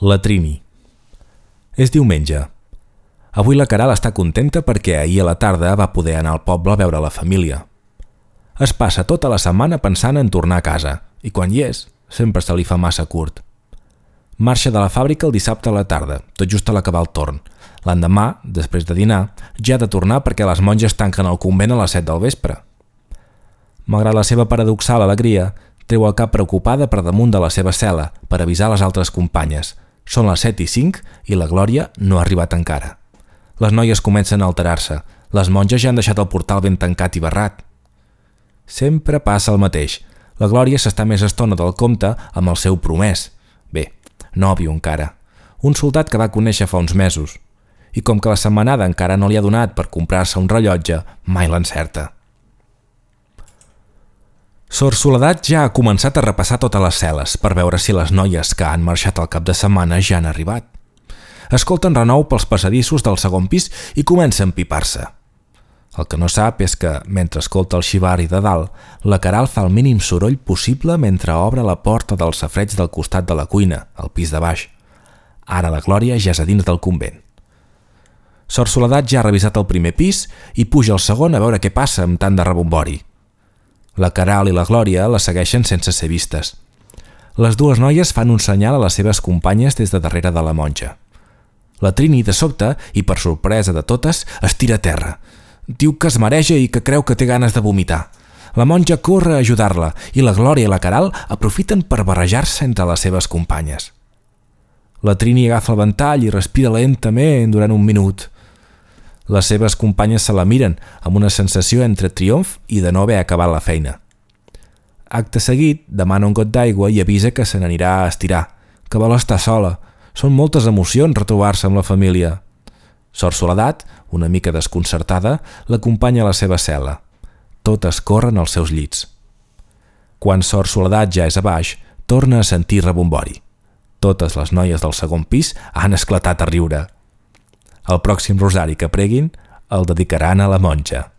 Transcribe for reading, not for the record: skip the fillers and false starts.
La Trini. És diumenge. Avui la Caral està contenta perquè ahir a la tarda va poder anar al poble a veure la família. Es passa tota la setmana pensant en tornar a casa i quan hi és, sempre se li fa massa curt. Marxa de la fàbrica el dissabte a la tarda, tot just a l'acabar el torn. L'endemà, després de dinar, ja ha de tornar perquè les monges tanquen el convent a les 7 del vespre. Malgrat la seva paradoxal alegria, treu el cap preocupada per damunt de la seva cel·la per avisar les altres companyes. Són les 7:05 i la Glòria no ha arribat encara. Les noies comencen a alterar-se. Les monges ja han deixat el portal ben tancat i barrat. Sempre passa el mateix. La Glòria s'està més estona del compte amb el seu promès. Bé, nòvio encara. Un soldat que va conèixer fa uns mesos. I com que la setmanada encara no li ha donat per comprar-se un rellotge, mai l'encerta. Sor Soledat ja ha començat a repassar totes les cel·les per veure si les noies que han marxat al cap de setmana ja han arribat. Escolten renou pels passadissos del segon pis i comença a empipar-se. El que no sap és que, mentre escolta el xivari de dalt, la Caral fa el mínim soroll possible mentre obre la porta del safareig del costat de la cuina, al pis de baix. Ara la Glòria ja és a dins del convent. Sor Soledat ja ha revisat el primer pis i puja al segon a veure què passa amb tant de rebombori. La Caral i la Glòria la segueixen sense ser vistes. Les dues noies fan un senyal a les seves companyes des de darrere de la monja. La Trini, de sobte, i per sorpresa de totes, es tira a terra. Diu que es mareja i que creu que té ganes de vomitar. La monja corre a ajudar-la i la Glòria i la Caral aprofiten per barrejar-se entre les seves companyes. La Trini agafa el ventall i respira lentament durant un minut. Les seves companyes se la miren amb una sensació entre triomf i de no haver acabat la feina. Acte seguit, demana un got d'aigua i avisa que se n'anirà a estirar, que vol estar sola. Són moltes emocions retrobar-se amb la família. Sor Soledat, una mica desconcertada, l'acompanya a la seva cel·la. Totes corren als seus llits. Quan Sor Soledat ja és a baix, torna a sentir rebombori. Totes les noies del segon pis han esclatat a riure. El pròxim rosari que preguin el dedicaran a la monja.